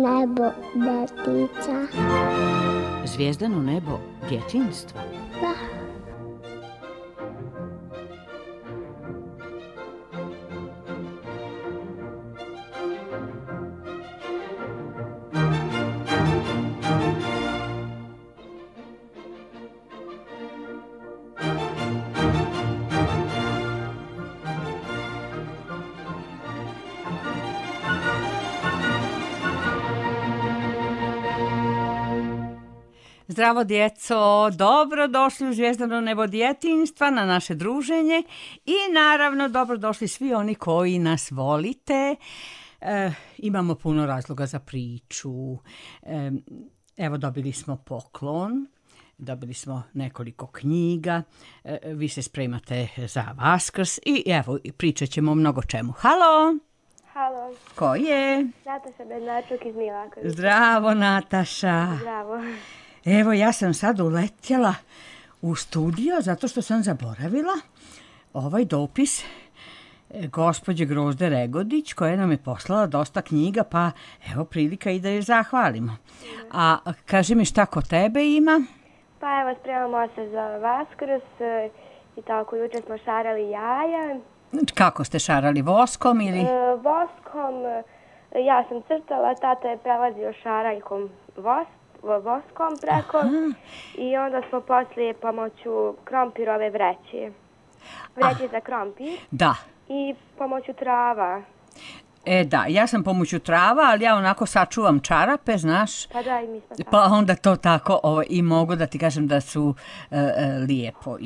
nebo detica. Zvijezdano nebo djetinjstva. Da. Zdravo djeco, dobrodošli u Zvijezdano nebo djetinjstva na naše druženje i naravno dobrodošli svi oni koji nas volite. Imamo puno razloga za priču. Evo dobili smo poklon, dobili smo nekoliko knjiga, vi se spremate za Vaskrs i evo pričat ćemo o mnogo čemu. Halo! Halo. Ko je? Nataša Bednačuk iz Milakovića. Zdravo Nataša. Zdravo. Evo, ja sam sad uletjela u studio zato što sam zaboravila ovaj dopis gospođe Grozde Regodić koja nam je poslala dosta knjiga, pa evo prilika i da je zahvalimo. A kaži mi šta kod tebe ima? Pa evo, spremamo se za Vaskrs i tako, jučer smo šarali jaja. Kako ste šarali, voskom ili? Voskom, ja sam crtala, tata je prelazio šaraljkom voskom preko. Aha. I onda smo poslije pomoću krompirove vreće za krompir. Da. I pomoću trava. Da, ja sam pomoću trava, ali ja onako sačuvam čarape, znaš. Pa da, i mi smo tako. Pa onda to tako i mogu da ti kažem da su lijepo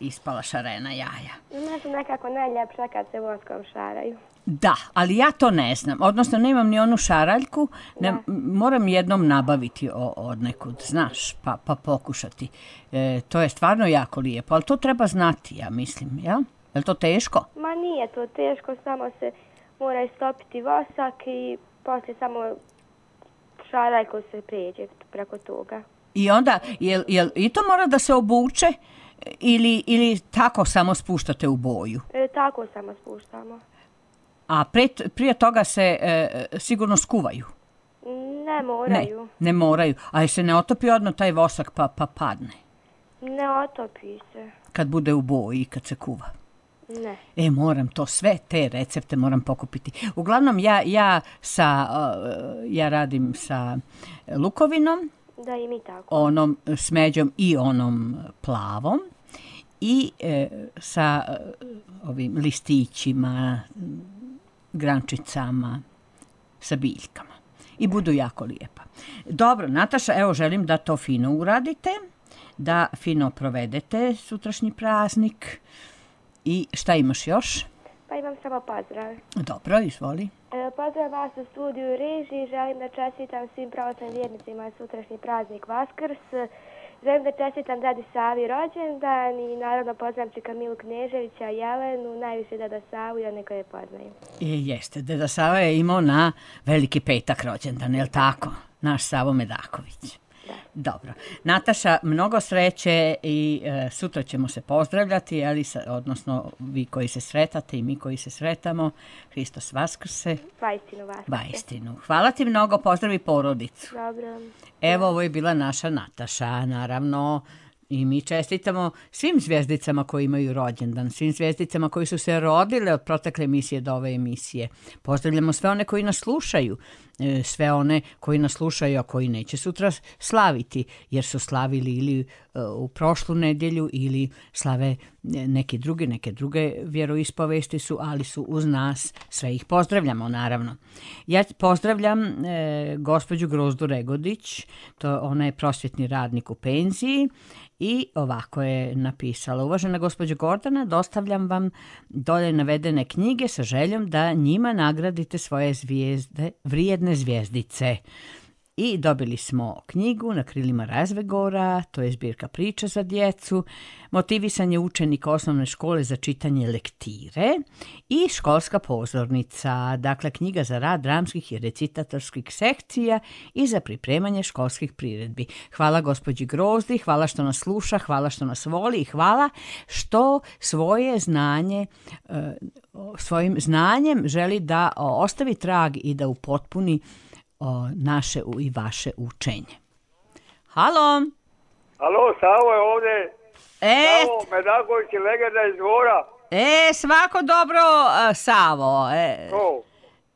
ispala šarena jaja. Ne su nekako najljepša kad se voskom šaraju. Da, ali ja to ne znam. Odnosno, nemam ni onu šaraljku. Moram jednom nabaviti od nekud, znaš, pa pokušati. To je stvarno jako lijepo, ali to treba znati, ja mislim, jel? Je li to teško? Ma nije to teško, samo se mora istopiti vosak i poslije samo šaraljko se prijeđe preko toga. I onda, jel i to mora da se obuče ili tako samo spuštate u boju? Tako samo spuštamo. A prije toga se sigurno skuvaju? Ne moraju. Ne moraju. A se ne otopi odmah taj vosak pa padne? Ne otopi se. Kad bude u boji, kad se kuva? Ne. Moram to sve, te recepte moram pokupiti. Uglavnom, ja radim sa lukovinom. Da, i mi tako. Onom smeđom i onom plavom. I sa ovim listićima, grančicama, sa biljkama. I budu jako lijepa. Dobro, Nataša, evo želim da to fino uradite, da fino provedete sutrašnji praznik. I šta imaš još? Pa imam samo pozdrav. Dobro, izvoli. Pozdrav vas u studiju režiji. Želim da čestitam svim pravoslavnim vjernicima sutrašnji praznik Vaskrs. Želim da čestitam Dadi Savi rođendan i naravno poznam čika Milu Kneževića, Jelenu, najviše Deda Savu i one koje poznaju. Jeste, Deda Sava je imao na Veliki petak rođendan, je li tako? Naš Savo Medaković. Da. Dobro. Nataša, mnogo sreće i sutra ćemo se pozdravljati, odnosno vi koji se sretate i mi koji se sretamo. Hristos Vaskrse. Vaistinu Vaskrse. Vaistinu. Hvala ti mnogo, pozdravi porodicu. Dobro. Evo, ovo je bila naša Nataša, naravno. I mi čestitamo svim zvijezdicama koji imaju rođendan, svim zvijezdicama koji su se rodile od protekle emisije do ove emisije. Pozdravljamo sve one koji nas slušaju, sve one koji nas slušaju, a koji neće sutra slaviti, jer su slavili ili u prošlu nedjelju ili slave neke druge vjeroispovesti su, ali su uz nas, sve ih pozdravljamo naravno. Ja pozdravljam gospođu Grozdu Regodić, ona je prosvjetni radnik u penziji i ovako je napisala: uvažena gospođo Gordana, dostavljam vam dolje navedene knjige sa željom da njima nagradite svoje vrijedne zvijezdice. I dobili smo knjigu Na krilima razvegora, to je zbirka priča za djecu, motivisan je učenik osnovne škole za čitanje lektire i školska pozornica, dakle knjiga za rad dramskih i recitatorskih sekcija i za pripremanje školskih priredbi. Hvala gospođi Grozdi, hvala što nas sluša, hvala što nas voli i hvala što svojim znanjem želi da ostavi trag i da upotpuni naše i vaše učenje. Halo? Alo, Savo je ovdje. Savo Medaković je legenda iz Dvora. Svako dobro, Savo.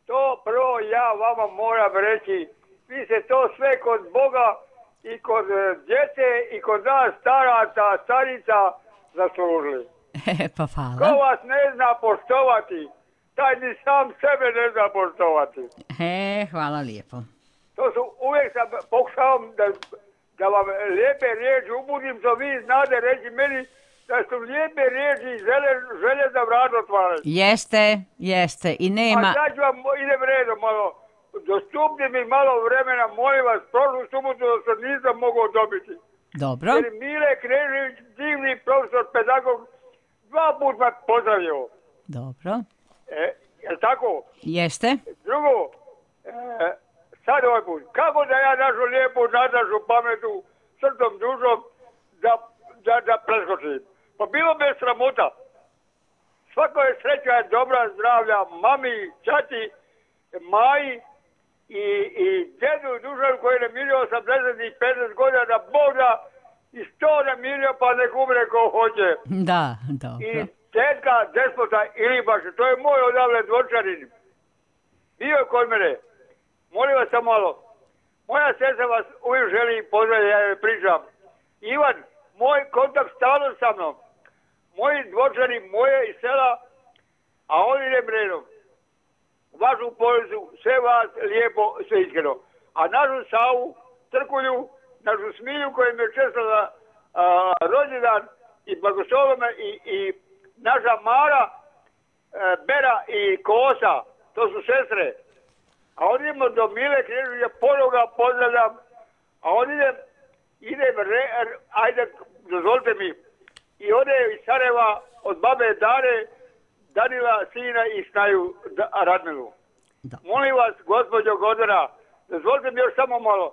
To prvo ja vama moram reći. Vi se to sve kod Boga i kod djece i kod nas starica zaslužili. Pa hvala. Ko vas ne zna poštovati, taj ni sam sebe ne zna poštovati. Hvala lijepo. To su, uvijek sam pokušavam da vam lijepe riječi ubudim, što vi znate reći meni da su lijepe riječi i želje za vrat otvarati. Jeste. I nema... A sad ću vam, idem redom malo. Dostupni mi malo vremena, molim vas, prošlu subotu što nisam mogao dobiti. Dobro. Jer Mile Knežević, divni profesor, pedagog, 2 puta me pozdravio. Dobro. Jel' tako? Jeste. Drugo, sad ovaj put, kako da ja našu lijepu Natašu pametu, srcom, dušom, da preskočim? Pa bilo me sramota. Svako je sreća, dobra, zdravlja, mami, čati, Maji i djedu Dušanu koji je namirio 80 i 50 godina da Bog da i 100 namirio pa nek umre ko hoće. Da, dobro. I tetka Despota Ilibaš, to je moj odavle Dvorčanin. Bio je kod mene. Molim vas samo malo. Moja sestra vas uvijek želi pozdraviti, ja joj pričam. Ivan, moj kontakt stalno sa mnom. Moji Dvorčani, moje iz sela, a on idem redom. Vašu porodicu, sve vas lijepo, sve iskreno. A našu Savu, Trkulju, našu Smilju koja mi je čestala rođendan i blagoslovila me i naša Mara, Bera i Kosa, to su sestre. A on idemo do Mile Kneževića, ponoga pozdravljam, a on idem, ajde, dozvolite mi, i ode iz Sarajeva od babe Dare, Danila, sina i Snaju Radmilu. Da. Molim vas, gospođo Godana, dozvolite mi još samo malo.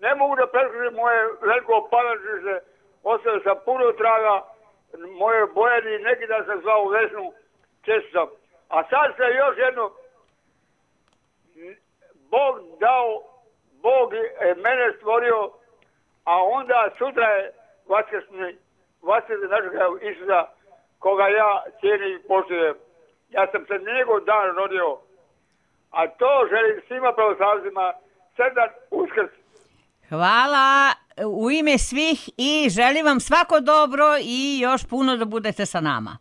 Ne mogu da preskočim moje veliko palačište, ostavio sam puno traga, moje bojani, neki dan sam zvao u Vesnu, često sam. A sad se još jedno, Bog je mene stvorio, a onda sutra je vaskrsni našeg Isusa, koga ja cijenim i poštujem. Ja sam se njegov dan rodio, a to želim svima pravoslavcima sretan Uskrs. Hvala u ime svih i želim vam svako dobro i još puno da budete sa nama.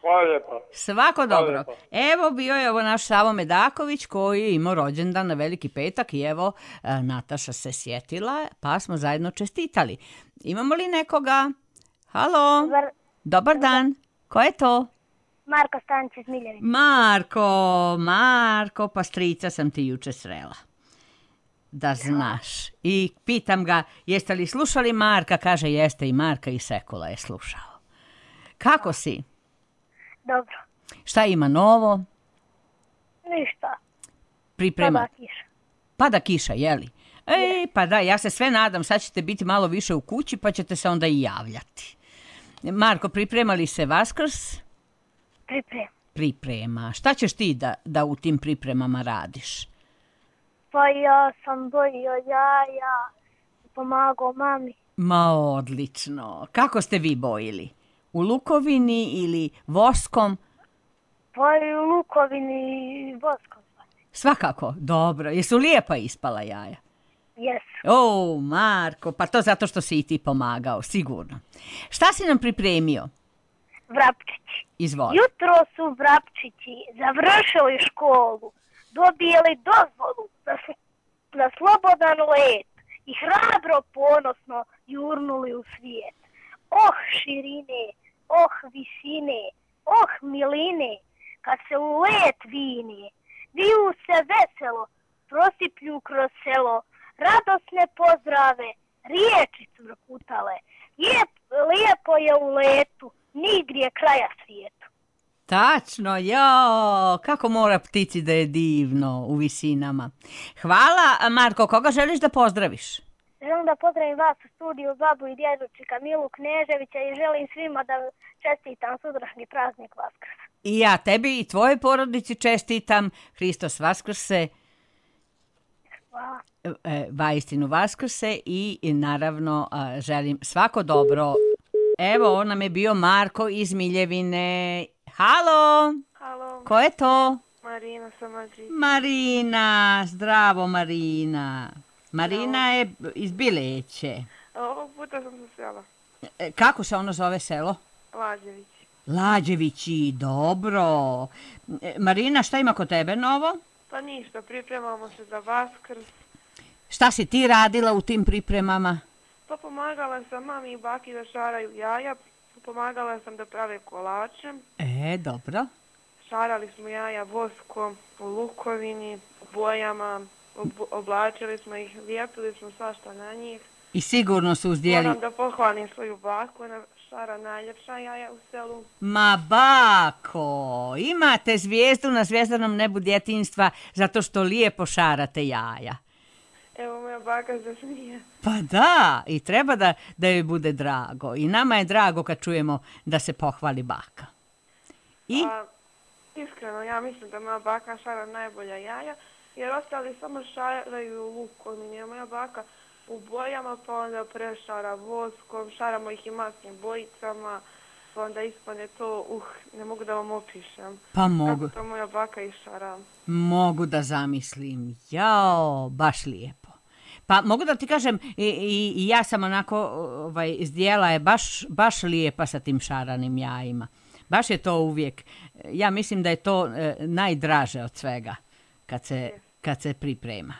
Hvala lijepa. Svako dobro. Evo bio je ovo naš Savo Medaković koji je imao rođendan na Veliki petak i evo Nataša se sjetila pa smo zajedno čestitali. Imamo li nekoga? Halo? Dobar dan. Ko je to? Marko Stanić iz Miljevice. Marko, pa strica sam ti juče srela. Da znaš. I pitam ga, jeste li slušali Marka? Kaže, jeste i Marka i Sekula je slušao. Kako si? Dobro. Šta ima novo? Ništa. Priprema. Pada kiša. Pada kiša, jeli? Pa da, ja se sve nadam, sad ćete biti malo više u kući pa ćete se onda i javljati. Marko, priprema li se Vaskrs? Priprema. Šta ćeš ti da u tim pripremama radiš? Pa ja sam bojio jaja, pomagao mami. Ma odlično. Kako ste vi bojili? U lukovini ili voskom? Pa i u lukovini i voskom. Svakako, dobro. Jesu lijepa ispala jaja? Jesu. Marko, pa to zato što si i ti pomagao, sigurno. Šta si nam pripremio? Vrapčići. Izvoli. Jutro su vrapčići završili školu, dobili dozvolu za slobodan let i hrabro ponosno jurnuli u svijet. Oh širine, oh visine, oh miline, kad se u let vine, viju se veselo, prosiplju kroz selo, radosne pozdrave, riječi cvrkutale. Lijepo je u letu, nigdje kraja svijetu. Tačno, kako mora ptici da je divno u visinama. Hvala, Marko, koga želiš da pozdraviš? Želim da pozdravim vas u studiju, babu i djedučika Milu Kneževića i želim svima da čestitam sutrašnji praznik Vaskrsa. I ja tebi i tvojoj porodici čestitam. Hristos Vaskrse. Hvala. Vaistinu Vaskrse i naravno želim svako dobro. Evo, on nam je bio Marko iz Miljevine. Halo! Halo, Ko je to? Marina sa Madrida. Marina, zdravo Marina. Marina je iz Bileće. Ovog puta sam se sela. Kako se ono zove selo? Lađević. Lađevići, dobro. Marina, šta ima kod tebe novo? Pa ništa, pripremamo se za Vaskrs. Šta si ti radila u tim pripremama? Pa pomagala sam mami i baki da šaraju jaja. Pomagala sam da prave kolače. Dobro. Šarali smo jaja voskom, u lukovini, u bojama. Oblačili smo ih, lijepili smo svašta na njih. I sigurno su uzdjeli... Moram da pohvalim svoju baku, ona šara najljepša jaja u selu. Ma bako, imate zvijezdu na zvjezdanom nebu djetinjstva zato što lijepo šarate jaja. Evo moja baka se smije. Pa da, i treba da joj bude drago. I nama je drago kad čujemo da se pohvali baka. I? Pa, iskreno, ja mislim da moja baka šara najbolja jaja, jer ostali samo šaraju lukom. Moja baka u bojama, pa onda prešara voskom, šaramo ih i masnim bojicama, pa onda ispane to, ne mogu da vam opišem. Pa mogu. Kako to moja baka išara. Mogu da zamislim. Jao, baš lijepo. Pa mogu da ti kažem, i ja sam onako, zdjela je baš lijepa sa tim šaranim jajima. Baš je to uvijek, ja mislim da je to najdraže od svega kad se priprema.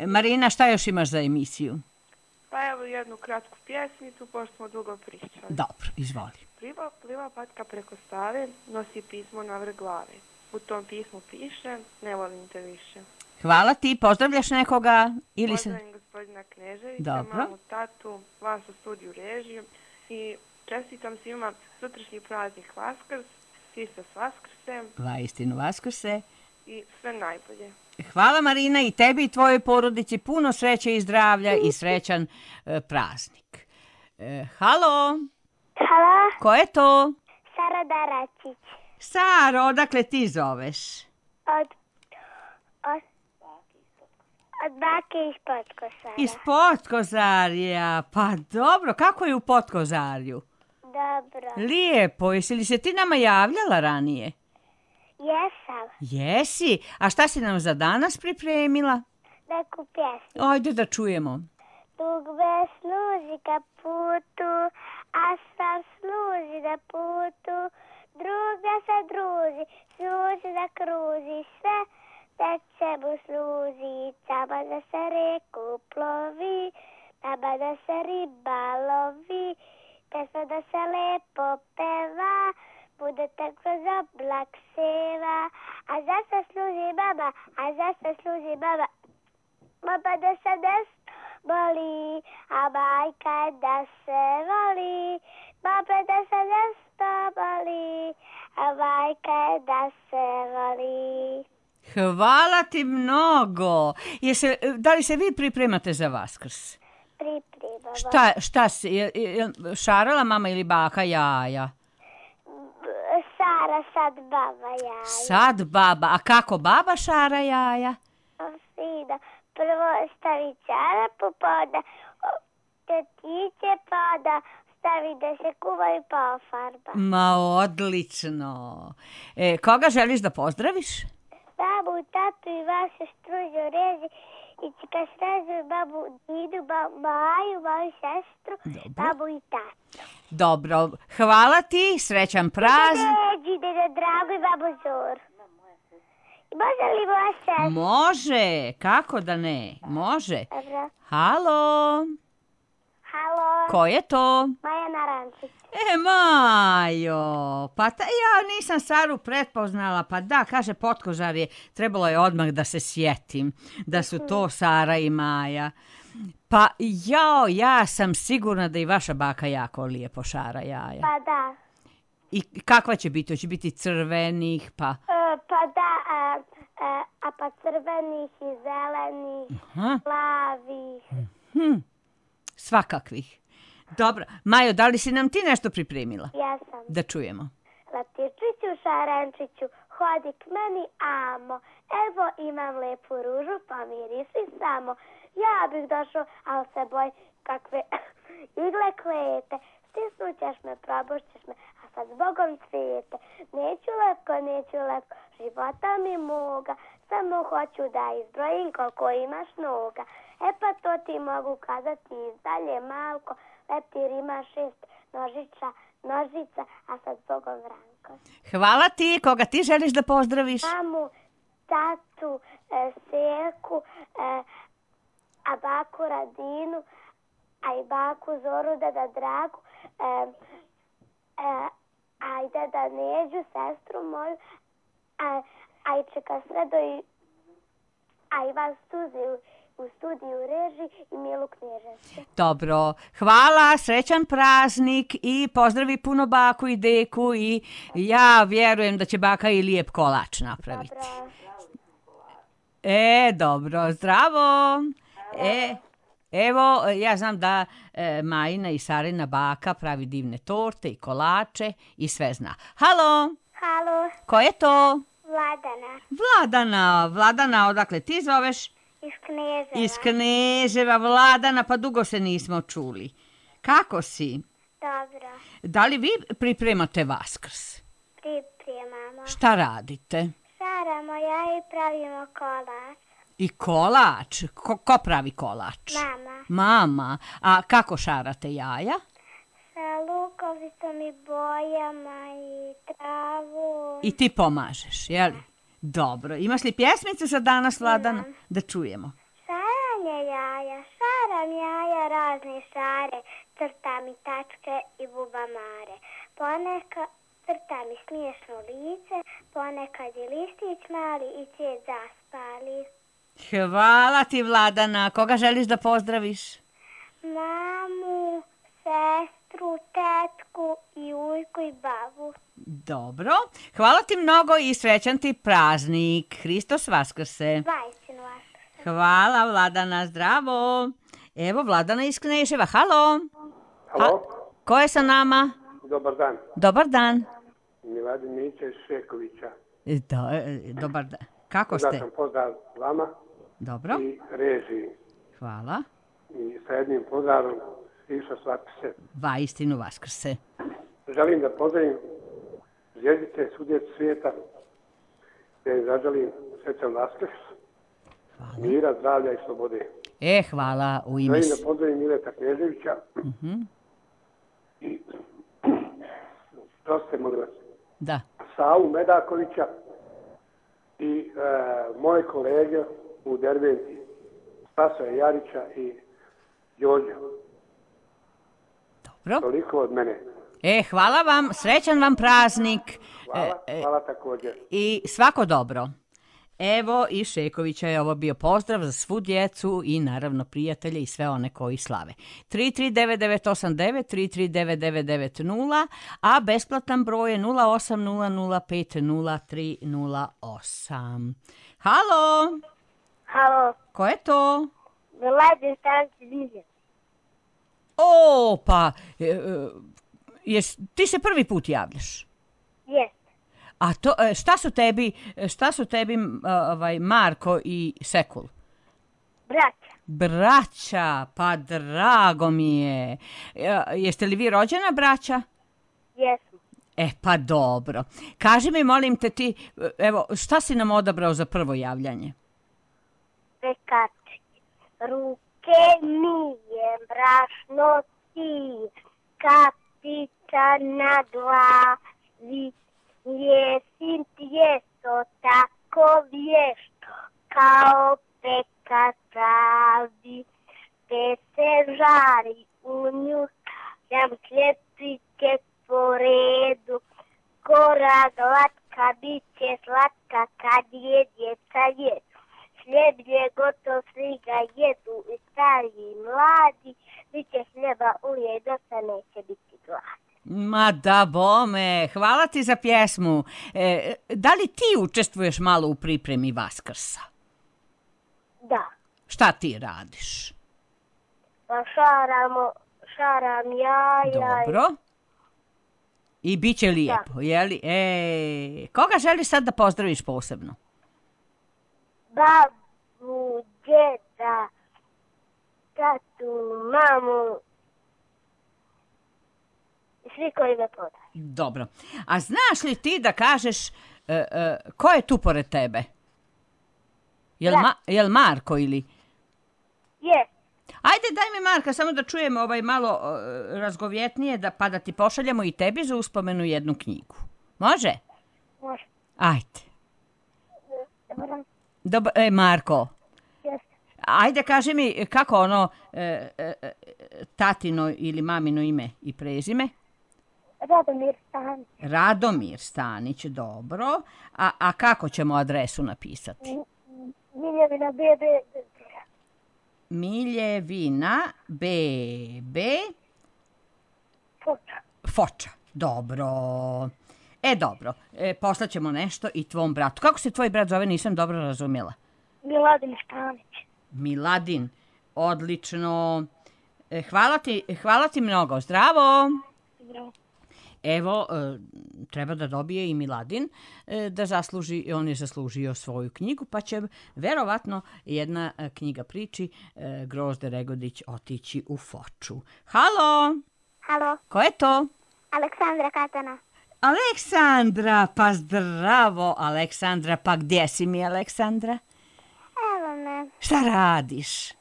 Marina, šta još imaš za emisiju? Pa evo jednu kratku pjesmicu, pošto smo dugo pričali. Dobro, izvoli. Pliva patka preko Save, nosi pismo na vrh glave. U tom pismu piše, ne volim te više. Hvala ti, pozdravljaš nekoga? Pozdravim gospodina Kneževića, mamu, tatu, vas u studiju režiju i čestitam svima sutrašnji praznik Vaskrs, svi se s Vaskrsem. Vaistinu Vaskrse. I sve najbolje. Hvala Marina i tebi i tvojoj porodici puno sreće i zdravlja i srećan praznik. Halo? Halo, Ko je to? Sara Daračić. Saro, odakle ti zoveš? Od bake iz Potkozarja. Iz Potkozarja. Pa dobro, kako je u Potkozarju? Dobro. Lijepo, jesi li se ti nama javljala ranije? Jesam. Jesi? A šta si nam za danas pripremila? Neku pjesmu. Ajde da čujemo. Dugme služi ka putu, a sam služi na putu. Druga se druži, služi da kruži sve, da mu služi. Tamo da se reku plovi, tamo da se riba lovi, pesma da se lepo peva, budete kroz oblak seva. A zašto služi baba, a zašto služi baba? Baba da se boli, a majka da se voli. Baba da se boli, a majka da se voli. Hvala ti mnogo. Da li se vi pripremate za Vaskrs? Pripremamo. Šta si? Šarala mama ili baka jaja? Sara, sad baba jaja. Sad baba. A kako baba šara jaja? Fino. Prvo stavi čarapu, pa onda tetiće, pa onda stavi da se kuvaju, pa ofarba. Ma odlično. Koga želiš da pozdraviš? Babu, tatu i vašu stružu reži i kad srežu babu Didu, Maju, moju sestru, babu i tatu. Dobro, hvala ti, srećan praznik. Ređi, deda Drago i babu Zoru. Može li moja sestra? Može, kako da ne, može. Dobro. Halo? Halo? Ko je to? Maja Narančić. Majo, pa ja nisam Saru pretpoznala, pa da, kaže Potkozarje, trebalo je odmah da se sjetim da su to Sara i Maja. Pa ja sam sigurna da i vaša baka jako lijepo šara jaja. Pa da. I kakva će biti? Hoće biti crvenih, pa... Pa da, a pa crvenih i zelenih, plavih. Svakakvih. Dobro, Majo, da li si nam ti nešto pripremila? Ja sam. Da čujemo. Latičiću, šarenčiću, hodi k meni, amo. Evo imam lepu ružu, pa mirisi samo. Ja bih došao, ali se boj kakve igle klete. Stisnućeš me, probušćeš me, a sad zbogom cvijete. Neću letko, života mi moga. Samo hoću da izbrojim koliko imaš noga. E pa to ti mogu kazati izdalje malko. Leptir ima 6 nožica, a sad zbogom Vranko. Hvala ti, koga ti želiš da pozdraviš? Mamu, tatu, Selku, a baku Radinu, a i baku Zoru, deda Dragu, a i deda Neđu, sestru moju, a i čeka Sredo, a i vas u studiju reži i Milu Knježevcu. Dobro, hvala, srećan praznik i pozdravi puno baku i deku i ja vjerujem da će baka i lijep kolač napraviti. Dobro, zdravo. Evo, ja znam da Majina i Sarina baka pravi divne torte i kolače i sve zna. Halo? Halo. Ko je to? Vladana, odakle ti zoveš? Iz Kneževa, Vladana, pa dugo se nismo čuli. Kako si? Dobro. Da li vi pripremate Vaskrs? Pripremamo. Šta radite? Šaramo ja i pravimo kolač. I kolač? Ko pravi kolač? Mama. A kako šarate jaja? Sa lukovicom i bojama i travu. I ti pomažeš, je li? Dobro. Imaš li pjesmice za danas, Vladana? Da čujemo. Šaranje jaja, šaram jaja razne šare, crtam i tačke i bubamare. Ponekad crtam i smiješno lice, ponekad i listić mali i cvijet zaspali. Hvala ti, Vladana. Koga želiš da pozdraviš? Mamu, sestru, tetku i ujku i babu. Dobro. Hvala ti mnogo i srećan ti praznik. Hristos Vaskrse. Vajsinu Vaskrse. Hvala, Vladana. Zdravo. Evo, Vladana iz Kneževa. Halo. Halo. Ko je sa nama? Dobar dan. Dobar dan. Miladin Mića iz Šekovića. Dobar dan. Kako ste? Da sam pozdrav vama. Dobro. I režiji. Hvala. I sa jednim pozdravom Hristos Vaskrse. Vajstinu Vaskrse. Želim da pozdravim zvijezdice svudje svijeta. Da im zaželim srećan Vaskrs. Mira, zdravlja i slobode. Hvala u ime. Želim da pozdravim Mileta Knježevića. I proste, molim vas. Da. Savu Medakovića i moje kolege u Derventi, Spasoja Jarića i Đorđa. Dobro. Toliko od mene. Hvala vam, srećan vam praznik. Hvala također. I svako dobro. Evo i Šekovića je ovo bio pozdrav za svu djecu i naravno prijatelje i sve one koji slave. 33989, 3399990, a besplatan broj je 0800503008. Halo? Halo. Ko je to? Miladin Stanci Dizir. Pa, ti se prvi put javljaš? Jest. A to, šta su tebi Marko i Sekul? Braća, pa drago mi je. Jeste li vi rođena braća? Jesmo. Pa dobro. Kaži mi, molim te ti, evo, šta si nam odabrao za prvo javljanje? Pekači. Ruke mijem, brašno sijem, kapica na glavi. Jesim tijesto tako vješto kao pekač pravi, te se žari u nju, jam hljepike po redu, gora glatka bit će slatka kad je djeca jedu. Hljeb je gotov, svi ga jedu i stari i mladi, bit će hljeba uvijek dosta, neće biti glad. Ma da bome, hvala ti za pjesmu. Da li ti učestvuješ malo u pripremi Vaskrsa? Da. Šta ti radiš? Pa šaram jaja. Dobro. I bit će lijepo, jeli? Koga želiš sad da pozdraviš posebno? Babu, djeda, tatu, mamu i svi koji me poznaju. Dobro. A znaš li ti da kažeš ko je tu pored tebe? Jel Marko ili? Je. Ajde, daj mi Marka, samo da čujemo malo razgovjetnije, pa da ti pošaljemo i tebi za uspomenu jednu knjigu. Može? Može. Ajde. Dobro. Marko. Jeste. Ajde, kaži mi kako tatino ili mamino ime i prezime? Radomir Stanić. Radomir Stanić, dobro. A kako ćemo adresu napisati? Miljevina BB. Miljevina BB. Foča. Dobro. Dobro. Poslaćemo nešto i tvom bratu. Kako se tvoj brat zove? Nisam dobro razumjela. Miladin Stanić. Miladin. Odlično. Hvala ti mnogo. Zdravo. Zdravo. Evo, treba da dobije i Miladin da zasluži, on je zaslužio svoju knjigu, pa će verovatno jedna knjiga priči Grozde Regodić otići u Foču. Halo! Halo, Ko je to? Aleksandra Katana. Aleksandra, pa zdravo, Aleksandra, pa gdje si mi, Aleksandra? Evo me. Šta radiš?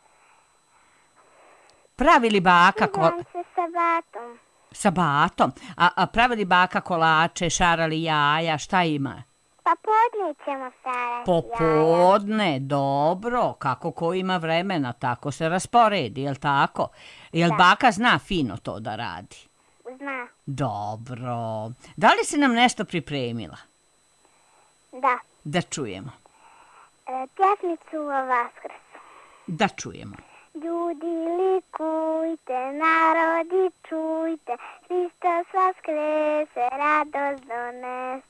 Pravi li baka Igram se sa batom. Sa batom? A pravi li baka kolače, šarali jaja, šta ima? Pa podne ćemo starati Popodne, dobro, kako ko ima vremena, tako se rasporedi, jel tako? Jel baka zna fino to da radi? Zna. Dobro. Da li si nam nešto pripremila? Da. Da čujemo. Pjesmicu o Vaskrsu. Da čujemo. Ljudi likujte, narodi čujte, Hristos vaskrese, radost dones.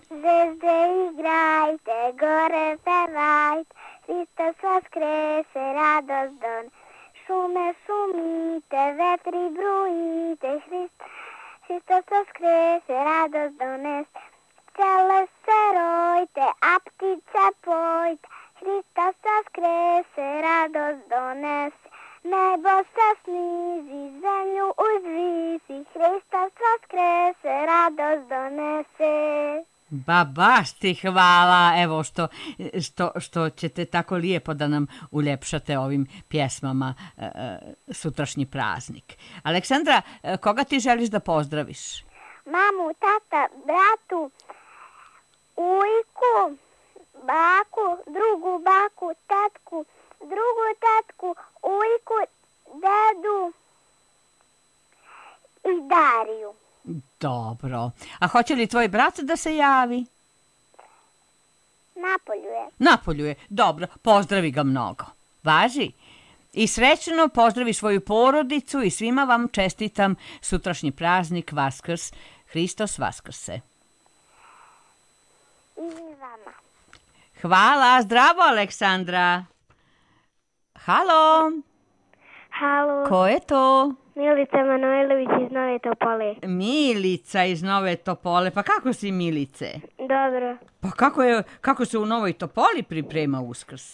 Zvezde igrajte, gore pevajte, Hristos vaskrese, radost dones. Šume šumite, vetri brujite, Hristos vaskrese, radost dones. Pčele se rojte, a ptice pojte, Hristos vaskrese, radost dones. Nebo se snizi, zemlju uzvisi, Hristos vaskrese, radost donese. Baš ti hvala, evo što ćete tako lijepo da nam uljepšate ovim pjesmama sutrašnji praznik. Aleksandra, koga ti želiš da pozdraviš? Mamu, tata, bratu, ujku, baku, drugu baku, tatku, drugu tatku, ujku, dedu i Dariju. Dobro. A hoće li tvoj brat da se javi? Napolju je. Dobro, pozdravi ga mnogo. Važi. I srećno pozdravi svoju porodicu i svima vam čestitam sutrašnji praznik Vaskrs. Hristos vaskrse. I vama. Hvala, zdravo Aleksandra. Halo. Halo. Ko je to? Milica Manojlović iz Nove Topole. Milica iz Nove Topole. Pa kako si, Milice? Dobro. Pa kako se u Novoj Topoli priprema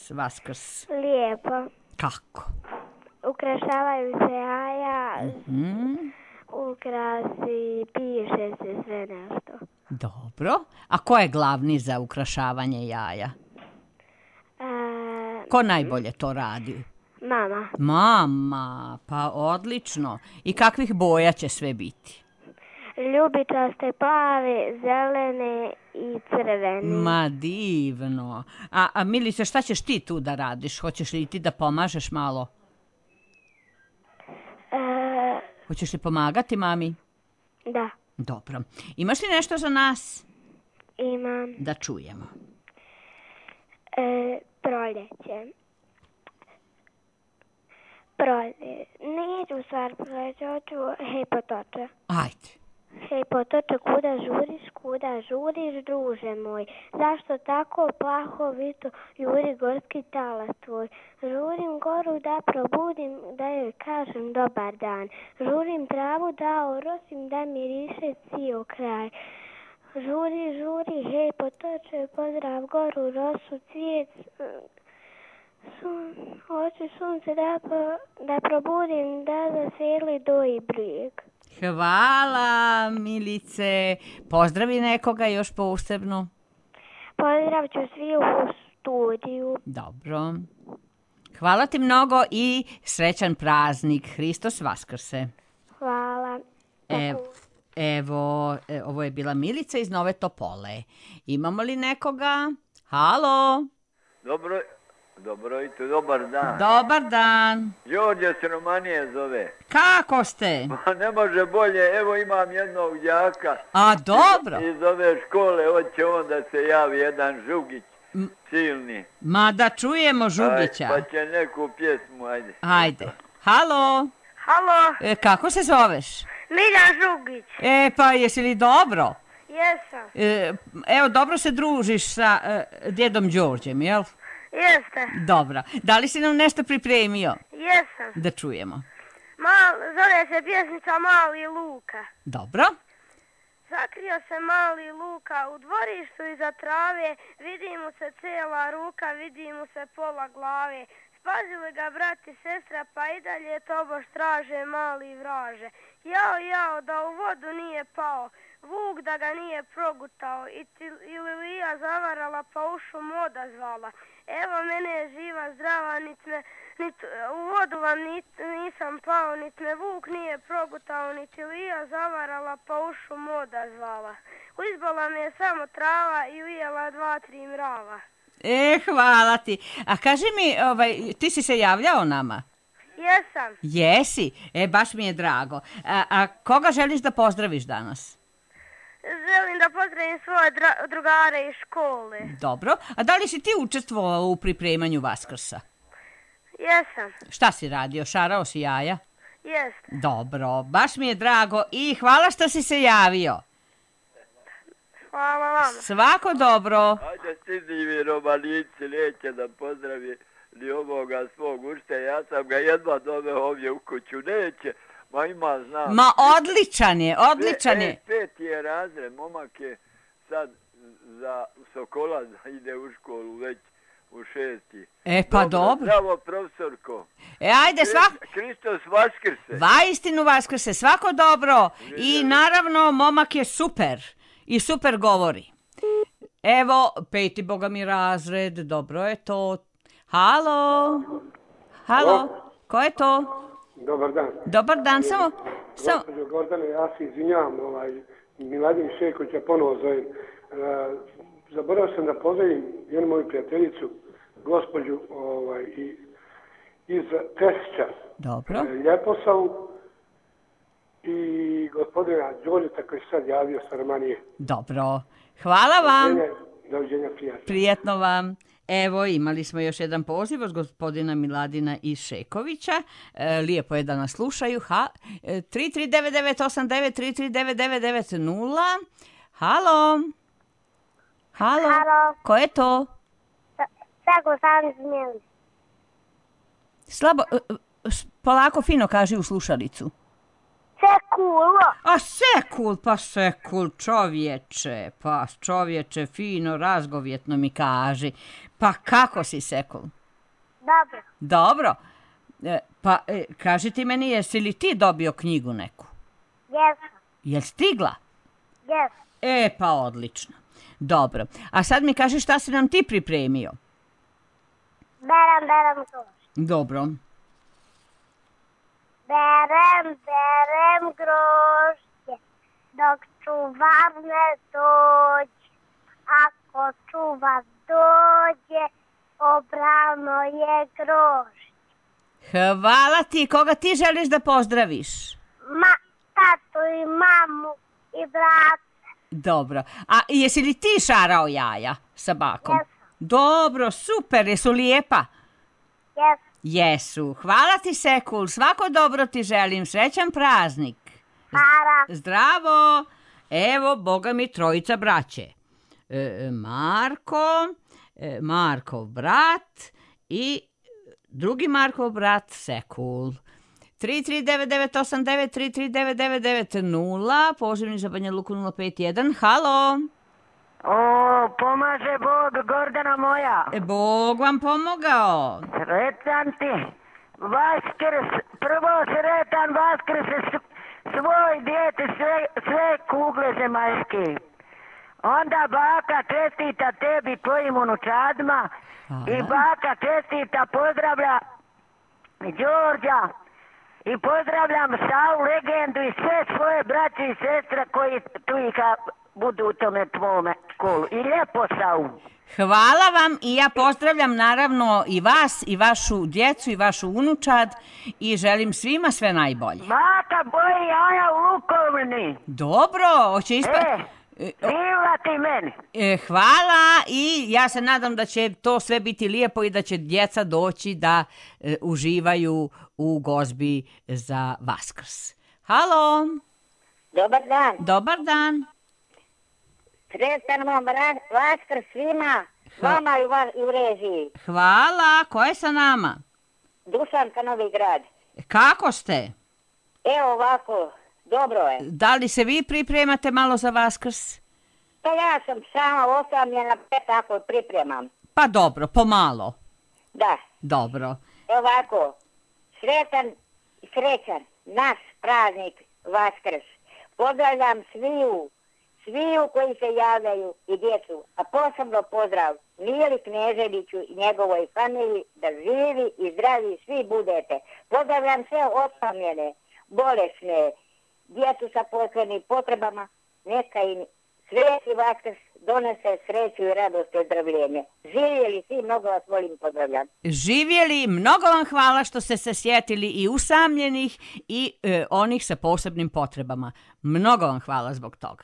Vaskrs? Lijepo. Kako? Ukrašavaju se jaja, ukrasi, piše se sve nešto. Dobro. A ko je glavni za ukrašavanje jaja? Ko najbolje to radi? Mama. Mama, pa odlično. I kakvih boja će sve biti? Ljubičaste, plave, zelene i crvene. Ma divno. A Milice, šta ćeš ti tu da radiš? Hoćeš li ti da pomažeš malo? Hoćeš li pomagati mami? Da. Dobro. Imaš li nešto za nas? Imam. Da čujemo. Proljeće. Neću stvar proljeće, hoću hej potoče. Ajde. Hej, potoče, kuda žuriš, druže moj? Zašto tako plahovito juri gorski talas tvoj? Žurim goru da probudim, da joj kažem dobar dan. Žurim travu da orosim, da miriše cijel kraj. Žuri, hej, potoče, pozdrav goru, rosu, cvijet, hoću sunce da probudim, da zaseli doji brijeg. Hvala, Milice. Pozdravi nekoga još posebno. Pozdrav ću svi u studiju. Dobro. Hvala ti mnogo i srećan praznik. Hristos Vaskrse. Hvala. Evo, ovo je bila Milica iz Nove Topole. Imamo li nekoga? Halo? Dobro jutro, dobar dan. Dobar dan. Đorđe se Romanije zove. Kako ste? Ma ne može bolje, evo imam jednog đaka. A, dobro. Iz ove škole, hoće on da se javi jedan Žugić, silni. Ma da čujemo Žugića. Pa će neku pjesmu, ajde. Ajde. Halo? Halo, Kako se zoveš? Miljan Žugić. Pa jesi li dobro? Jesam. Evo, dobro se družiš sa djedom Đorđem, jel? Jeste. Dobro. Da li si nam nešto pripremio? Jesam. Da čujemo. Zove se pjesnica Mali Luka. Dobro. Zakrio se mali Luka u dvorištu iza trave, vidi mu se cijela ruka, vidi mu se pola glave. Spazili ga brat i sestra, pa i dalje tobož traže mali vraže. Jao, da u vodu nije pao, vuk da ga nije progutao, ili lija zavarala pa u šum odazvala. Evo mene je živa, zdrava, u vodu vam nisam pao, nit me vuk nije progutao, niti lija zavarala pa u šum odazvala. Izbola me je samo trava i ujela 2-3 mrava. Hvala ti. A kaži mi, ti si se javljao nama? Jesam. Jesi? Baš mi je drago. A koga želiš da pozdraviš danas? Želim da pozdravim svoje drugare iz škole. Dobro. A da li si ti učestvovao u pripremanju Vaskrsa? Jesam. Šta si radio? Šarao si jaja? Jeste. Dobro. Baš mi je drago i hvala što si se javio. Hvala vama. Svako dobro. Ajde stiži mi Romanici, neće da pozdravi ni ovoga svog učitelja. Ja sam ga jedva doveo ovdje u kuću. Neće, ma ima znam. Ma odličan je. 5. je razred, momak je sad za Sokola ide u školu već u 6. Pa dobro. Zdravo, profesorko. Ajde, Hristos Vaskrse. Vaistinu Vaskrse, svako dobro. I naravno, momak je super. I super govori. Evo, 5. boga mi razred, dobro je to. Halo? Ko je to? Dobar dan. Dobar dan, samo... Gospođo Gordane, ja se izvinjavam, Miladin Šekovića ponovo zovem. Zaboravio sam da pozdravim jednu moju prijateljicu, gospođu iz Tesića. Dobro. Ljeposavu i gospodina Đorđeta koji se sad javio sa Romanije. Dobro. Hvala vam. Doviđenja, prijatno. Prijetno vam. Evo, imali smo još jedan poziv od gospodina Miladina iz Šekovića. Lijepo je da nas slušaju. 339989, 339990. Halo? Ko je to? Sekul sam iz Milice. Slabo, polako fino kaži u slušalicu. Sekul. Sekul, čovječe, fino, razgovjetno mi kaži. Pa kako si, Sekul? Dobro. Pa, kaži ti meni, jesi li ti dobio knjigu neku? Jesam. Jel stigla? Jesam. Pa odlično. Dobro. A sad mi kaži šta si nam ti pripremio? Berem grožđe. Dobro. Berem grožđe, dok čuvar ne dođe. Ako čuvar dođe, obrano je grožđe. Hvala ti. Koga ti želiš da pozdraviš? Tatu i mamu i brata. Dobro. A jesi li ti šarao jaja sa bakom? Jesam. Dobro, super. Jesu lijepa? Jesam. Jesu. Hvala ti, Sekul. Svako dobro ti želim. Srećan praznik. Hvala. Zdravo. Evo, boga mi, trojica braće. Markov brat i drugi Markov brat Sekul. 3399893 3399990, pozivni za Banja Luku 051. Halo. O, pomaže Bog, Gordana moja. Bog vam pomogao. Sretan ti. Vaskrs, prvo sretan Vaskrs svoj dijete, sve kugle zemaljske. Onda baka čestita tebi, tvojim unučadima. I baka čestita, pozdravlja Đorđa. I pozdravljam Savu legendu i sve svoje braće i sestre koji tu budu u tome tvome školu. I lijepo Savu. Hvala vam i ja pozdravljam naravno i vas i vašu djecu i vašu unučad i želim svima sve najbolje. Baka boji jaja u lukovni. Dobro, hoće Živla ti meni. Hvala i ja se nadam da će to sve biti lijepo i da će djeca doći da uživaju u gozbi za Vaskrs. Halo. Dobar dan. Dobar dan. Sretan vam Vaskrs svima, vama i u režiji. Hvala. Ko je sa nama? Dušanka, Novi Grad. Kako ste? Evo ovako, dobro je. Da li se vi pripremate malo za Vaskrs? Pa ja sam sama osamljena, tako pripremam. Pa dobro, pomalo. Da. Dobro. Ovako, sretan i srećan naš praznik Vaskrs. Pozdravljam sviju koji se javljaju i djecu, a posebno pozdrav Mili Kneževiću i njegovoj familiji, da živi i zdravi svi budete. Pozdravljam sve osamljene, bolesne, djecu sa posebnim potrebama, neka im sveti Vaskrs donese sreću i radost i ozdravljenje. Živjeli svi, mnogo vas volim, pozdravljam. Živjeli, mnogo vam hvala što ste se sjetili i usamljenih i onih sa posebnim potrebama. Mnogo vam hvala zbog toga.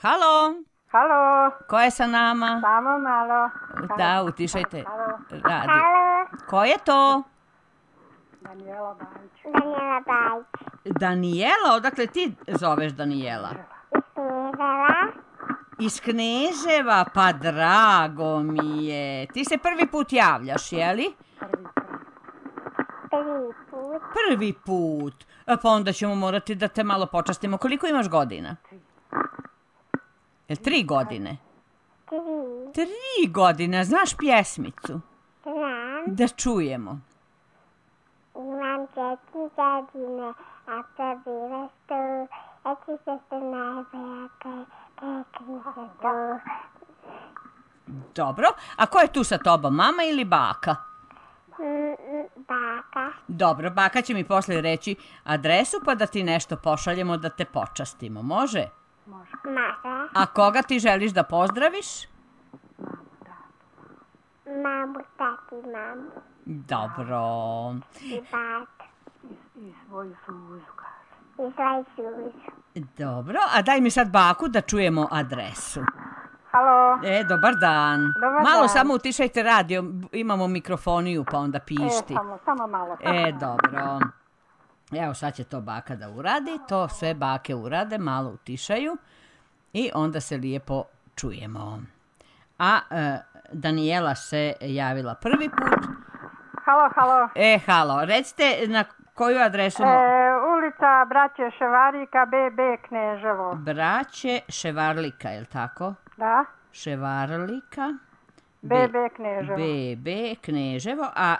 Halo. Halo. Ko je sa nama? Samo malo. Da, utišajte radio. Halo. Ko je to? Danijela Bajić. Danijela Bajić. Danijela, odakle ti zoveš Danijela? Iz Kneževa, pa drago mi je. Ti se prvi put javljaš, jeli? Prvi put. Pa onda ćemo morati da te malo počastimo. Koliko imaš godina? 3 godine? 3 godine. Znaš pjesmicu? Znam. Da čujemo. Imam 4 godine, a to bilo 100. Eki se ste najbolja, tekli se to. Dobro. A ko je tu sa tobom? Mama ili baka? Baka. Dobro, baka će mi posle reći adresu pa da ti nešto pošaljemo da te počastimo. Može? Može. A koga ti želiš da pozdraviš? Mamu, tati, mamu. Dobro. I bat. I svoju suzu, kaže. I svoju suzu. Dobro, a daj mi sad baku da čujemo adresu. Halo. Dobar dan. Dobar malo dan. Samo utišajte radio, imamo mikrofoniju pa onda pišti. Samo malo. Dobro. Evo sad će to baka da uradi, to sve bake urade, malo utišaju i onda se lijepo čujemo. A Danijela se javila prvi put. Halo. Halo, recite na koju adresu? Ulica Braće Ševarlika, BB Kneževo. Braće Ševarlika, je li tako? Da. Ševarlika. BB Kneževo. BB Kneževo, a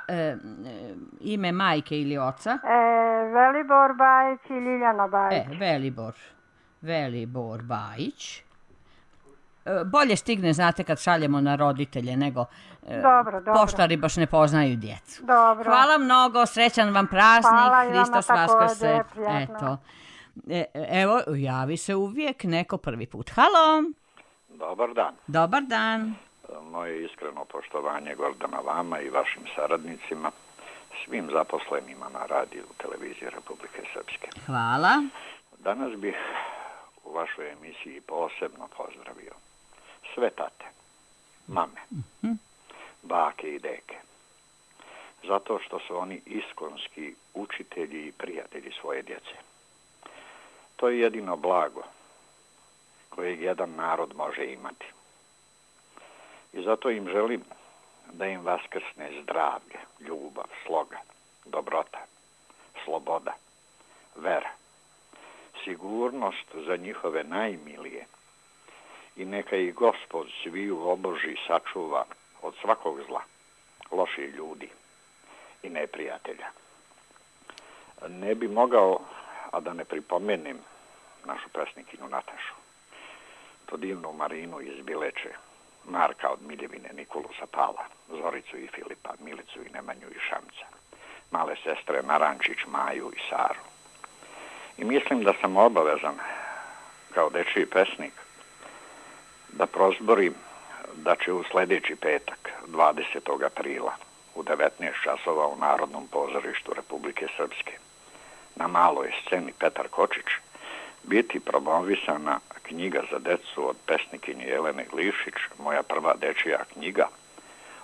ime majke ili oca? Velibor Bajić i Ljiljana Bajić. Velibor Bajić. Bolje stigne, znate, kad šaljemo na roditelje, nego dobro. poštari baš ne poznaju djecu. Dobro. Hvala mnogo, srećan vam praznik. Hvala i vama Hristos Vaskrs. prijatno. Evo, javi se uvijek neko prvi put. Halo. Dobar dan. Dobar dan. Moje iskreno poštovanje, Gordana, vama i vašim saradnicima, svim zaposlenima na radiju televiziji Republike Srpske. Hvala. Danas bih u vašoj emisiji posebno pozdravio sve tate, mame, bake i deke, zato što su oni iskonski učitelji i prijatelji svoje djece. To je jedino blago kojeg jedan narod može imati. I zato im želim da im vaskrsne zdravlje, ljubav, sloga, dobrota, sloboda, vera, sigurnost za njihove najmilije i neka ih Gospod sviju oboži i sačuva od svakog zla, loših ljudi i neprijatelja. Ne bi mogao, a da ne pripomenem našu pesnikinju Natašu, to divnu Marinu iz Bileče, Marka od Miljevine, Nikolu Sapala, Zoricu i Filipa, Milicu i Nemanju i Šamca, male sestre Narančić, Maju i Saru. I mislim da sam obavezan, kao dečiji pesnik, da prozborim da će u sljedeći petak, 20. aprila, u 19 časova u Narodnom pozorištu Republike Srpske, na maloj sceni Petar Kočić, biti promovisana knjiga za decu od pesnikinje Jelene Glišić, moja prva dečija knjiga,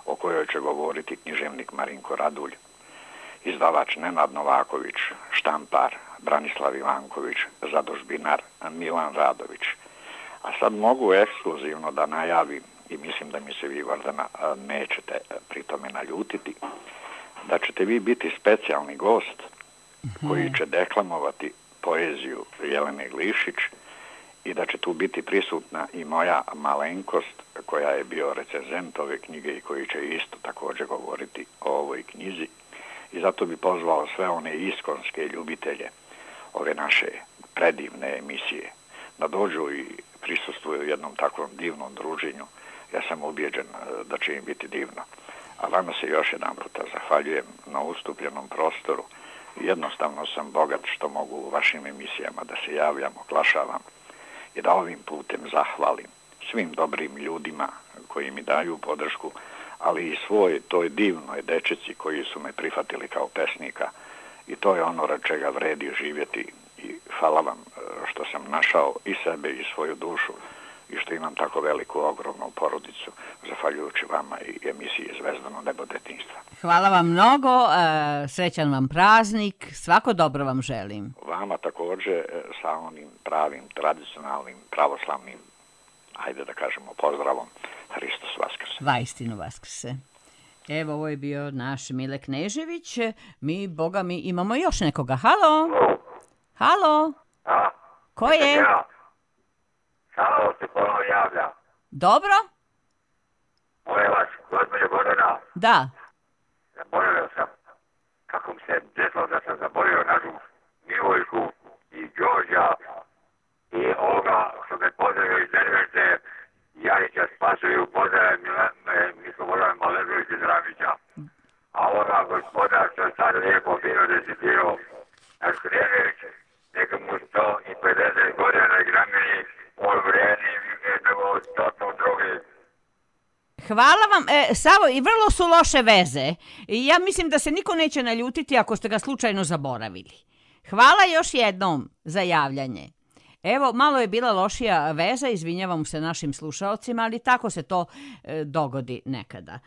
o kojoj će govoriti književnik Marinko Radulj, izdavač Nenad Novaković, štampar Branislav Ivanković, zadužbinar Milan Radović. A sad mogu ekskluzivno da najavim, i mislim da mi se vi, Gordana, nećete pri tome naljutiti, da ćete vi biti specijalni gost koji će deklamovati poeziju Jelene Glišić i da će tu biti prisutna i moja malenkost koja je bio recenzent ove knjige i koji će isto također govoriti o ovoj knjizi. I zato bi pozvao sve one iskonske ljubitelje ove naše predivne emisije da dođu i prisustvuju u jednom takvom divnom druženju. Ja sam ubijeđen da će im biti divno. A vama se još jedan puta zahvaljujem na ustupljenom prostoru. Jednostavno sam bogat što mogu u vašim emisijama da se javljam, oglašavam i da ovim putem zahvalim svim dobrim ljudima koji mi daju podršku, ali i svoj toj divnoj dečici koji su me prihvatili kao pesnika i to je ono rad čega vredi živjeti i hvala vam što sam našao i sebe i svoju dušu i što imam tako veliku, ogromnu porodicu, zahvaljujući vama i emisiji Zvezdano nebo detinjstva. Hvala vam mnogo, srećan vam praznik, svako dobro vam želim. Vama također sa onim pravim, tradicionalnim, pravoslavnim, ajde da kažemo, pozdravom, Hristos Vaskrse. Vaistinu Vaskrse. Evo, ovo je bio naš Mile Knežević. Mi, boga mi, imamo još nekoga. Halo? Halo? Ko je? Halo, se ponovo javlja. Dobro? Moje vas, gospođo Gordana. Da. Zaboravio sam kako mi se desilo da sam zaboravio našu Milojku i Đorđa i ovoga što me pozdravio iz Nervence, Jarića Spasuju, pozdravio mi Slobodan Malezović iz Ramića. A ovoga gospoda što je sad lijepo fino decidirao, naš Knežević, neka mu 150 godina na grameni, on vredi nego stotno drugi. Hvala vam. Savo, i vrlo su loše veze. Ja mislim da se niko neće naljutiti ako ste ga slučajno zaboravili. Hvala još jednom za javljanje. Evo, malo je bila lošija veza, izvinjavam se našim slušalcima, ali tako se to dogodi nekada.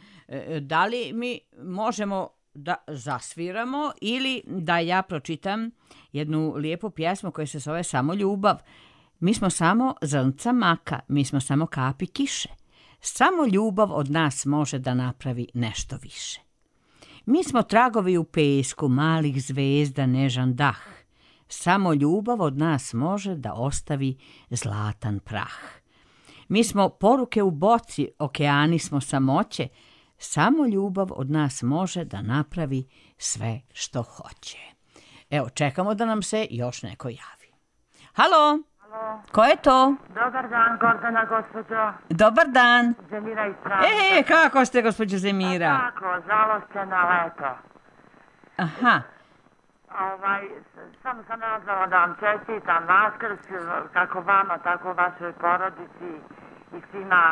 Da li mi možemo da zasviramo ili da ja pročitam jednu lijepu pjesmu koja se zove Samo ljubav. Mi smo samo zrnca maka, mi smo samo kapi kiše. Samo ljubav od nas može da napravi nešto više. Mi smo tragovi u pesku, malih zvezda, nežan dah. Samo ljubav od nas može da ostavi zlatan prah. Mi smo poruke u boci, okeani smo samoće. Samo ljubav od nas može da napravi sve što hoće. Evo, čekamo da nam se još neko javi. Halo? Halo? Ko je to? Dobar dan, Gordana, gospođo. Dobar dan. Zemira iz Travnika. Kako ste, gospođo Zemira? Pa tako, žalostena leto. Aha. Samo sam nazvala da vam čestitam Vaskrs, kako vama, tako vašoj porodici i svima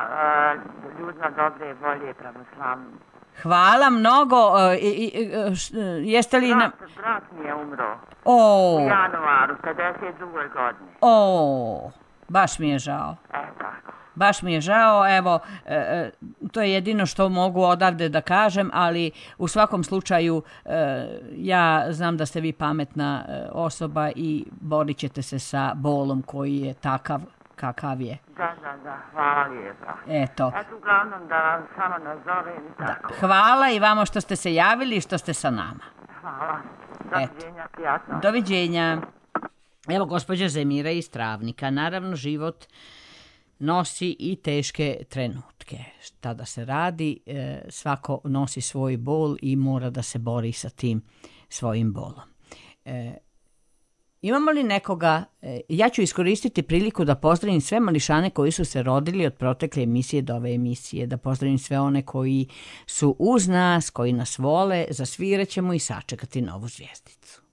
ljudima dobre volje pravoslavnim. Hvala mnogo. Jeste li... Brat mi je umro. U januaru, 52. godine. Baš mi je žao. Tako. Baš mi je žao, evo, To je jedino što mogu odavde da kažem, ali u svakom slučaju ja znam da ste vi pametna osoba i borit ćete se sa bolom koji je takav kakav je. Da, hvala lijepa. Eto, Uglavnom da vam samo nazovem i tako. hvala i vama što ste se javili i što ste sa nama. Hvala. Doviđenja, prijatno. Doviđenja. Evo, gospođa Zemira iz Travnika. Naravno, život nosi i teške trenutke. Šta da se radi, svako nosi svoj bol i mora da se bori sa tim svojim bolom. Imamo li nekoga, ja ću iskoristiti priliku da pozdravim sve mališane koji su se rodili od protekle emisije do ove emisije, da pozdravim sve one koji su uz nas, koji nas vole, zasvirat ćemo i sačekati novu zvijezdicu.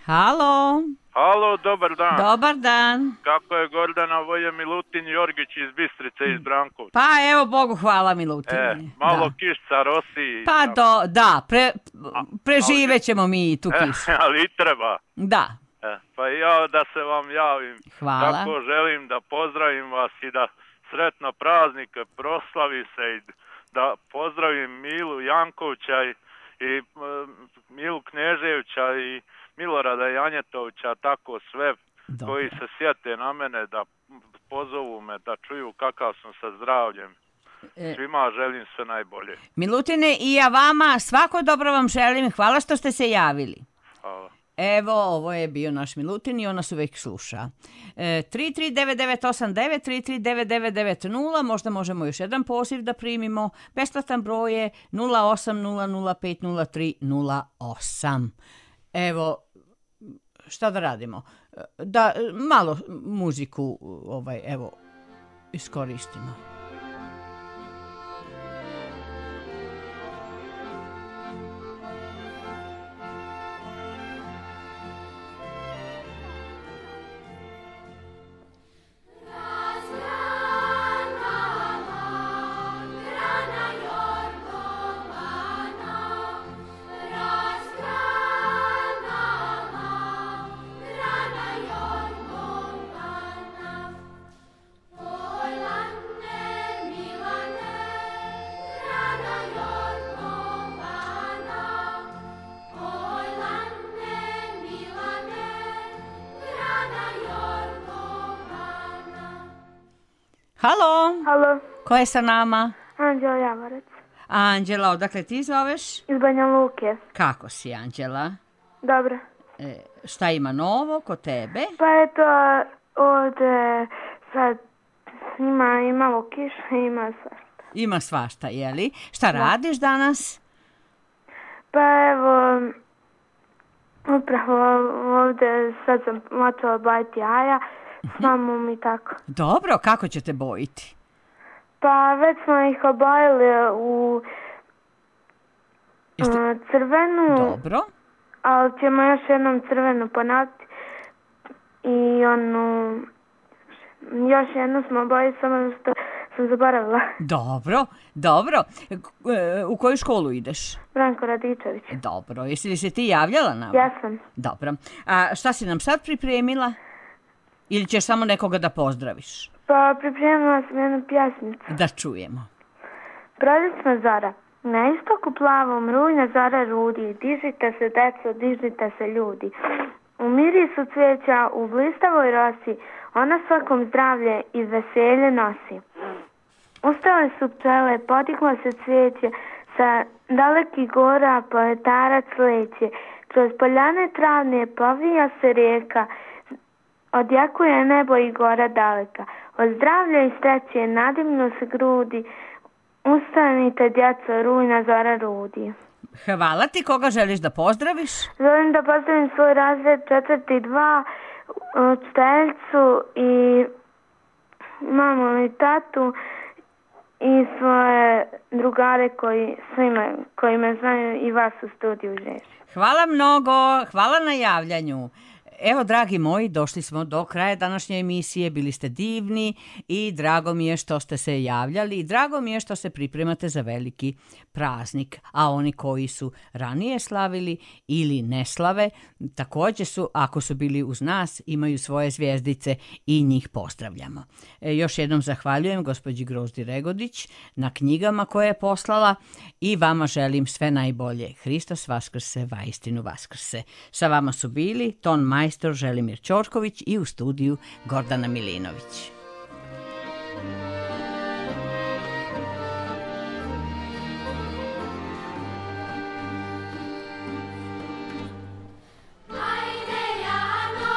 Halo. Halo, dobar dan. Dobar dan. Kako je Gordana Voje Milutin Jorgić iz Bistrice, iz Brankovca? Pa evo, Bogu hvala, Milutine. Malo kišca rosi. Pa preživet ćemo mi tu kišu. Ali i treba. Da. Pa ja da se vam javim. Hvala. Tako želim da pozdravim vas i da sretno praznike proslavi se i da pozdravim Milu Jankovića i Milu Kneževića i Milorada Janjetovića, tako sve koji se sjete na mene da pozovu me, da čuju kakav sam sa zdravljem. Svima želim sve najbolje. Milutine, i ja vama svako dobro vam želim. Hvala što ste se javili. Hvala. Evo, ovo je bio naš Milutin i ona se uvijek sluša. 339989, 339990, možda možemo još jedan poziv da primimo. Besplatan broj je 0800503008. Evo, šta da radimo? Da malo muziku evo iskoristimo. Halo. Halo. Ko je sa nama? Anđela Javorac. Anđela, odakle ti zoveš? Iz Banja Luke. Kako si, Anđela? Dobro. Šta ima novo kod tebe? Pa eto, ovdje sad ima i malo kiša, ima svašta. Ima svašta, jeli? Šta radiš danas? Pa evo, upravo ovdje sad sam počela bajiti jaja s mamom i tako. Dobro, kako ćete bojiti? Pa već smo ih obojili u crvenu. Dobro. Ali ćemo još jednom crvenu ponoviti i još jednu smo obojili, samo što sam zaboravila. Dobro. U koju školu ideš? Branko Radičević. Dobro. Jesi li se ti javljala na ovo? Ja sam. Dobro. A šta si nam sad pripremila? Ili ćeš samo nekoga da pozdraviš? Pa pripremila sam jednu pjesmicu. Da čujemo. Proljetna zora. Na istoku plavom rujna zora rudi. Dižite se, deco, dižite se, ljudi. U mirisu cvijeća, u blistavoj rosi, ona svakom zdravlje i veselje nosi. Ustale su pčele, podiglo se cvijeće, sa dalekih gora poetarac leće. Kroz poljane travne povija se rijeka, odjekuje nebo i gora daleka. Od zdravlja i sreće nadimnu se grudi, ustanite djeco, rujna zora rudi. Hvala ti, koga želiš da pozdraviš? Želim da pozdravim svoj razred 4.2, učiteljicu i mamu i tatu i svoje drugare koji me znaju i vas u studiju Žež. Hvala mnogo, hvala na javljanju. Evo, dragi moji, došli smo do kraja današnje emisije, bili ste divni i drago mi je što ste se javljali i drago mi je što se pripremate za veliki praznik, a oni koji su ranije slavili ili ne slave, također su, ako su bili uz nas, imaju svoje zvjezdice i njih pozdravljamo. Još jednom zahvaljujem gospođi Grozdi Regodić na knjigama koje je poslala i vama želim sve najbolje. Hristos vaskrse, vaistinu vaskrse. Sa vama su bili ton majstor Želimir Ćorković i u studiju Gordana Milinović. Ajde Jano,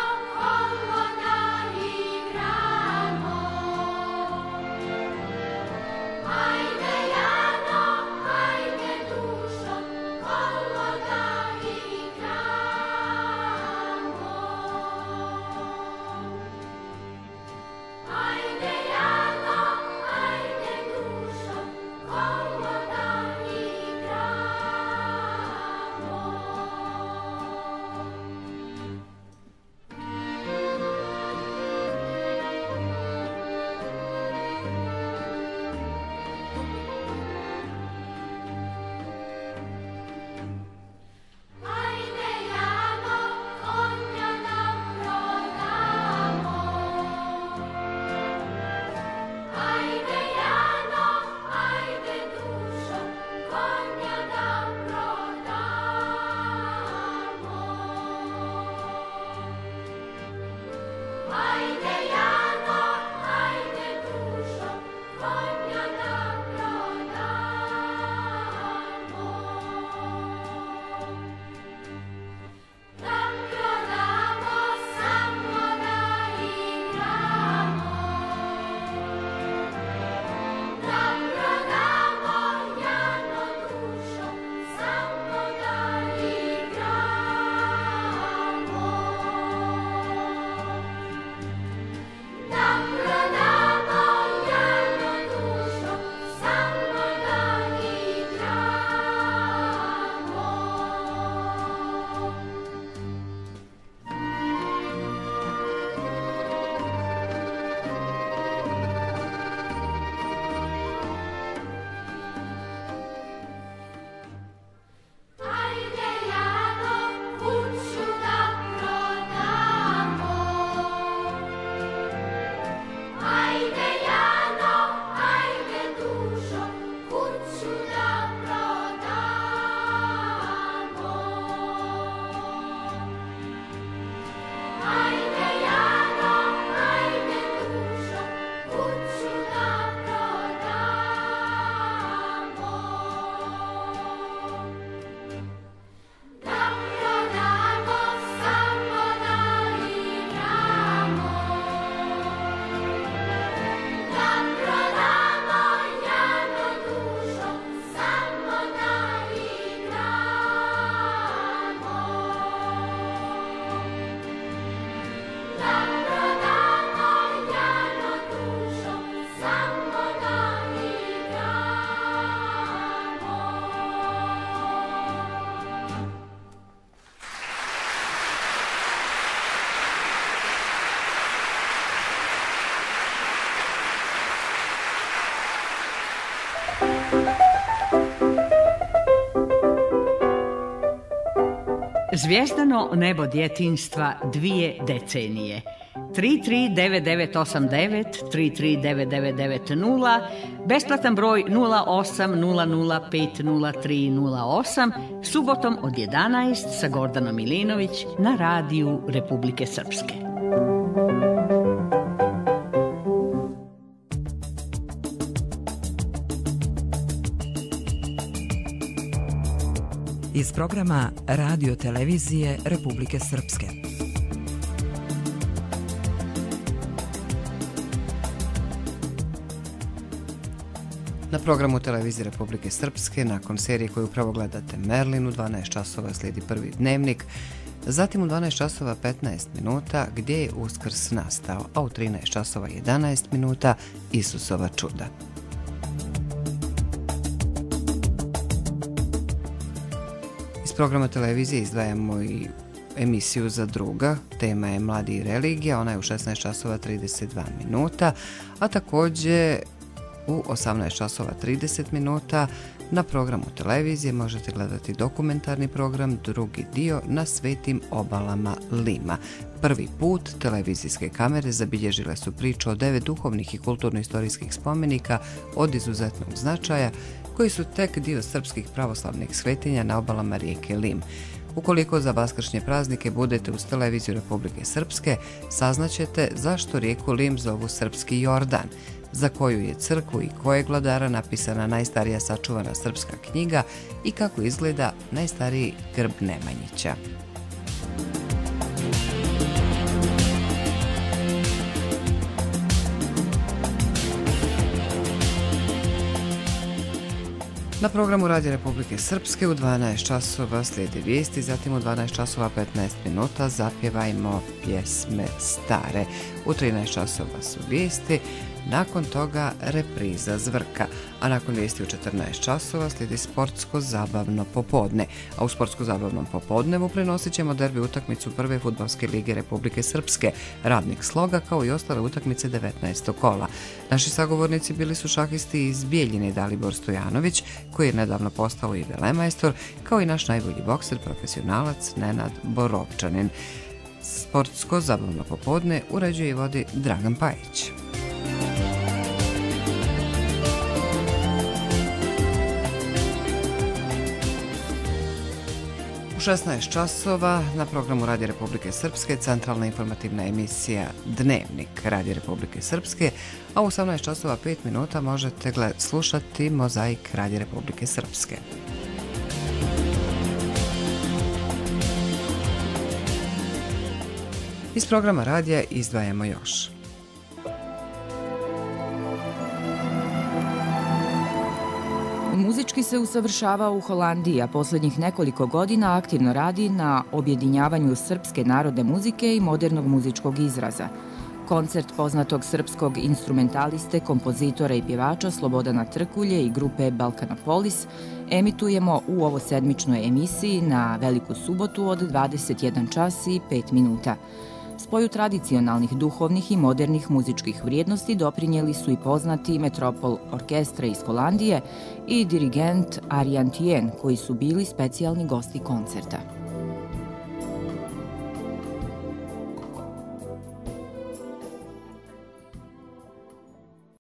Zvijezdano nebo djetinjstva 2 decenije. 339989, 339990, besplatan broj 0800500308, subotom od 11 sa Gordanom Milinović na radiju Republike Srpske. Iz programa Radio televizije Republike Srpske. Na programu televizije Republike Srpske, nakon serije koju upravo gledate Merlin, u 12 časova slijedi prvi dnevnik, zatim u 12 časova 15 minuta Gdje je Uskrs nastao, a u 13 časova 11 minuta Isusova čuda. Iz programa televizije izdvajamo i emisiju Za druga, tema je Mladi i religija, ona je u 16 časova 32 minuta, a također u 18 časova 30 minuta na programu televizije možete gledati dokumentarni program Drugi dio na svetim obalama Lima. Prvi put televizijske kamere zabilježile su priču o 9 duhovnih i kulturno-istorijskih spomenika od izuzetnog značaja koji su tek dio srpskih pravoslavnih svetinja na obalama rijeke Lim. Ukoliko za vaskršnje praznike budete uz televiziju Republike Srpske, saznaćete zašto rijeku Lim zovu Srpski Jordan, za koju je crkvu i kojeg vladara napisana najstarija sačuvana srpska knjiga i kako izgleda najstariji grb Nemanjića. Na programu Radija Republike Srpske u 12 časova slijede vijesti, zatim u 12 časova 15 minuta zapjevajmo pjesme stare. U 13 časova su vijesti, nakon toga repriza Zvrka, a nakon vijesti u 14 časova slijedi sportsko-zabavno popodne. A u sportsko-zabavnom popodnevu prenosit ćemo derbi utakmicu prve fudbalske lige Republike Srpske, Radnik Sloga, kao i ostale utakmice 19. kola. Naši sagovornici bili su šahisti iz Bijeljine Dalibor Stojanović, koji je nedavno postao i velemajstor, kao i naš najbolji bokser, profesionalac Nenad Borovčanin. Sportsko-zabavno popodne uređuje i vodi Dragan Pajić. U 16 časova na programu Radija Republike Srpske centralna informativna emisija Dnevnik Radija Republike Srpske, a u 18 časova 5 minuta možete slušati Mozaik Radija Republike Srpske. Iz programa radija izdvajamo još. Muzički se usavršava u Holandiji, a posljednjih nekoliko godina aktivno radi na objedinjavanju srpske narodne muzike i modernog muzičkog izraza. Koncert poznatog srpskog instrumentaliste, kompozitora i pjevača Slobodana Trkulje i grupe Balkanopolis emitujemo u ovosedmičnoj emisiji na Veliku subotu od 21 čas i 5 minuta. Spoju tradicionalnih, duhovnih i modernih muzičkih vrijednosti doprinijeli su i poznati Metropol orkestra iz Holandije i dirigent Arjan Tien, koji su bili specijalni gosti koncerta.